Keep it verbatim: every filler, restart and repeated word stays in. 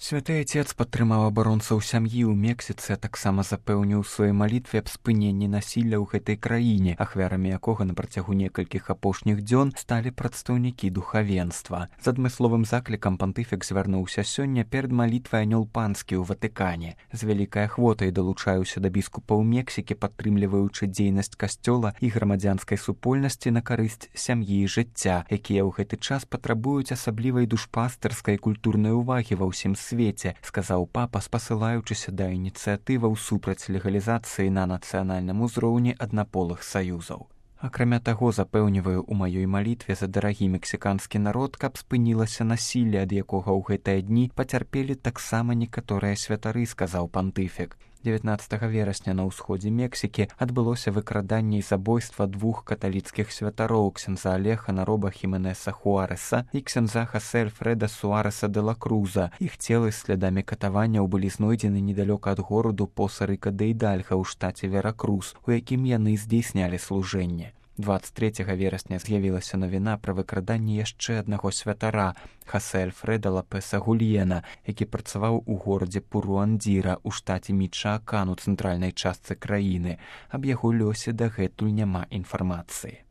Святы Отец падтрымаў абаронцаў сям'і ў Мексіцы, а таксама запэўніў у сваёй малітве аб спыненні насілля ў гэтай краіне, ахвярамі якога на працягу некалькіх апошніх дзён сталі прадстаўнікі духавенства. З адмысловым заклікам пантыфік звярнуўся сёння перад малітвай анёл панскі ў Ватыкане. З вялікай ахвотай далучаюся да біскупаў Мексікі, падтрымліваючы дзейнасць касцёла і грамадзянскай супольнасці на карысць сям'і і жыцця, якія ў гэты час патрабуюць асаблівай душпастырскай культурнай увагі ва ўсім свеце, сказаў папа, спасылаючыся да ініцыятываў супраць легалізацыі на нацыянальным узроўні аднаполых саюзаў. Акрамя таго, запэўніваю ў маёй малітве за дарагі мексіканскі народ, каб спынілася насілле, ад якога ў гэтыя дні пацярпелі таксама некаторыя святары, сказаў пантыфік. дзевятнаццатага верасня на ўсходзе Мексікі адбылося выкраданне і забойства двух каталіцкіх святароў, ксяндза Алехана Роба Хіменеса Хуареса і ксяндза Хасе Альфреда Суареса де ла Круза. Іх целы з слядамі катаванняў былі знойдзены недалёка ад гораду Поса-Рыка де Ідальга ў штаце Веракрус, у якім яны здзейснялі служэнне. дваццаць трэцяга верасня з'явілася навіна пра выкраданне яшчэ аднаго святара, Хасе Альфреда Лапеса Гульена, які працаваў у горадзе Пуруандзіра ў штаце Мічаакан у цэнтральнай частцы краіны. Аб яго лёсе дагэтуль няма інфармацыі.